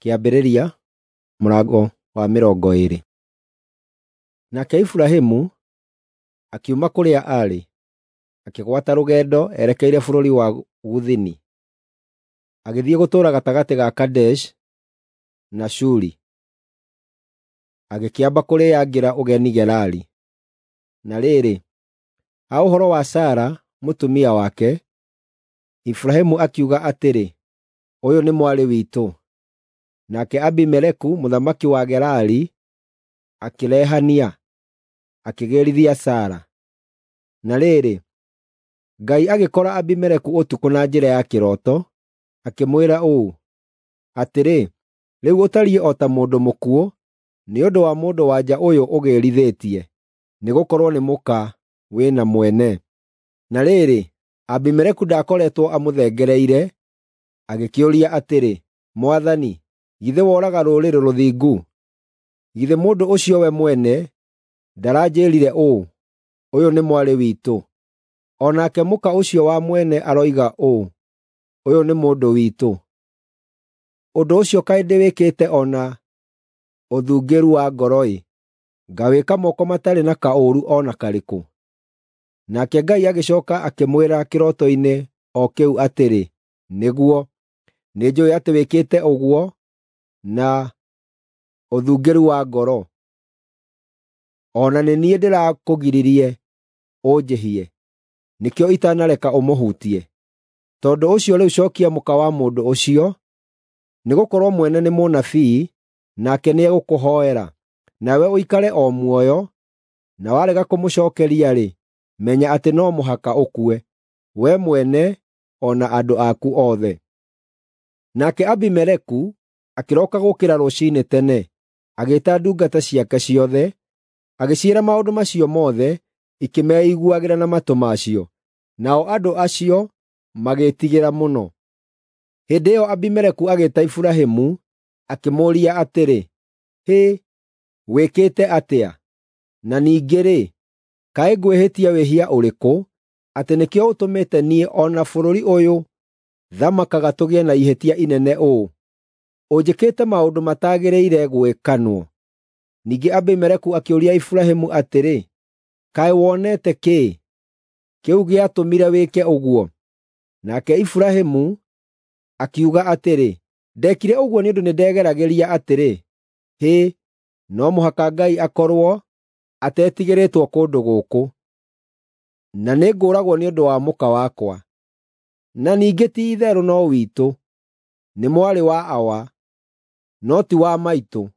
Kĩambĩrĩria mũrango wa 20. Nake Iburahĩmu akiuma kũrĩa aarĩ, akĩgwata rũgendo erekeire bũrũri wa Gũthini, agĩthiĩ gũtũũra gatagatĩ ga Kadeshi na Shuri, agĩkĩamba kũrĩĩangĩra ũgeni Gerari. Na rĩrĩ, ha ũhoro wa Sara mũtumia wake, Iburahĩmu akiuga atĩrĩ, “Ũyũ nĩ mwarĩ witũ.” Nake Abimeleku mũthamaki wa Gerari akĩrehania, akĩgĩĩrithia Sara. Na rĩrĩ, Ngai agĩkora Abimeleku ũtukũ na njĩra ya kĩroto, akĩmwĩra ũũ, “Atĩrĩ, rĩu ũtariĩ o ta mũndũ mũkuũ nĩ ũndũ wa mũndũ-wa-nja ũyũ ũgĩrithĩtie, nĩgũkorwo nĩ mũka wĩ na mwene.” Na rĩrĩ, Abimeleku ndaakoretwo amũthengereire, agĩkĩũria atĩrĩ, “Mwathani, githĩ woraga rũrĩrĩ rũthingu? Githĩ mũndũ ũcio we mwene ndaranjĩĩrire ũũ, ‘Ũyũ nĩ mwarĩ witũ’? O nake mũka ũcio wa mwene aroiga ũũ, ‘Ũyũ nĩ mũndũ witũ.’ Ũndũ ũcio kaĩ ndĩwĩkĩte o na ũthungĩru wa ngoro-ĩ, ngawĩka moko matarĩ na kaũũru o na karĩkũ.” Nake Ngai agĩcooka akĩmwĩra kĩroto-inĩ o kĩu atĩrĩ, “Nĩguo, nĩnjũũĩ atĩ wĩkĩte ũguo na ũthungĩru wa ngoro, o na nĩ niĩ ndĩrakũgiririe ũnjĩhie, nĩkĩo itanareka ũmũhutie. Tondũ ũcio rĩu cookia mũka wa mũndũ ũcio, nĩgũkorwo mwene nĩ mũnabii, nake nĩegũkũhoera, nawe ũikare o muoyo, na warega kũmũcookeria-rĩ, menya atĩ no mũhaka ũkue, wee mwene o na andũ aku othe.” Nake Abimeleku akĩroka gũũkĩra rũciinĩ tene, agĩĩta ndungata ciake ciothe, agĩciĩra maũndũ macio mothe, ikĩmeiguagĩra na matũ macio. Nao andũ acio magĩĩtigĩra mũno. Hĩndĩ ĩyo Abimeleku agĩĩta Iburahĩmu, akĩmũũria atĩrĩ, “Hĩ, wĩkĩte atĩa? Na ningĩ-rĩ, kaĩ ngwĩhĩtie wĩhia ũrĩkũ, atĩ nĩkĩo ũtũmĩte niĩ o na bũrũri ũyũ thamakaga tũgĩe na ihĩtia inene ũũ? Ũnjĩkĩte maũndũ matagĩrĩire gwĩkanwo.” Ningĩ Abimeleku akĩũria Iburahĩmu atĩrĩ, “Kaĩ wonete kĩĩ, kĩu gĩatũmire wĩke ũguo?” Nake Iburahĩmu akiuga atĩrĩ, “Ndeekire ũguo nĩ ũndũ nĩndegeragĩria atĩrĩ, 'Hĩ, no mũhaka Ngai akorwo atetigĩrĩtwo kũndũ gũkũ, na nĩngũũragwo nĩ ũndũ wa mũka wakwa. Na ningĩ ti-itherũ no witũ, nĩ mwarĩ wa awa, no ti wa maitũ,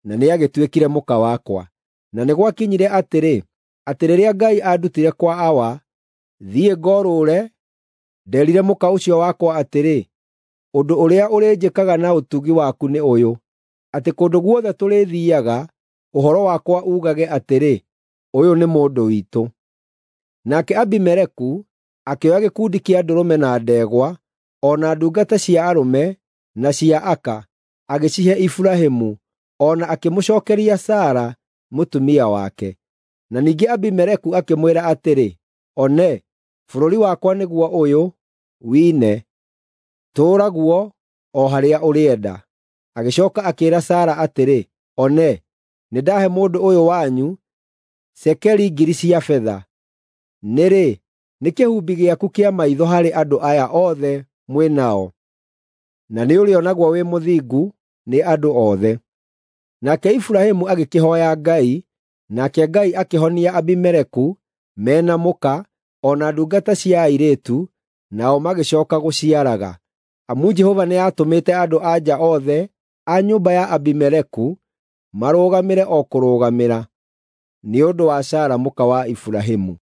na nĩagĩtuĩkire mũka wakwa. Na nĩ gwakinyire atĩrĩ, atĩ rĩrĩa Ngai aandutire kwa awa, thiĩ ngorũũre, ndeerire mũka ũcio wakwa atĩrĩ, ‘Ũndũ ũrĩa ũrĩnjĩkaga na ũtugi waku nĩ ũyũ, atĩ kũndũ guothe tũrĩthiiaga, ũhoro wakwa uugage atĩrĩ, “Ũyũ nĩ mũndũ witũ.” ’” Nake Abimeleku akĩoya gĩkundi kĩa ndũrũme na ndegwa, o na ndungata cia arũme na cia aka, agĩcihe Iburahĩmu, o na akĩmũcookeria Sara mũtumia wake. Na ningĩ Abimeleku akĩmwĩra atĩrĩ, “One, bũrũri wakwa nĩguo ũyũ, wine. Tũũra guo o harĩa ũrĩenda.” Agĩcooka akĩĩra Sara atĩrĩ, “One, nĩndahe mũndũ ũyũ wanyu cekeri 1,000 cia betha. Nĩ-rĩ, nĩ kĩhumbi gĩaku kĩa maitho harĩ andũ aya othe mwĩ nao, na nĩũrĩonagwo wĩ mũthingu nĩ andũ othe.” Nake Iburahĩmu agĩkĩhooya Ngai, nake Ngai akĩhonia Abimeleku me na mũka, o na ndungata cia airĩtu, nao magĩcooka gũciaraga. Amu Jehova nĩatũmĩte andũ-a-nja othe a nyũmba ya Abimeleku marũgamĩre o kũrũgamĩra, nĩ ũndũ wa Sara mũka wa Iburahĩmu.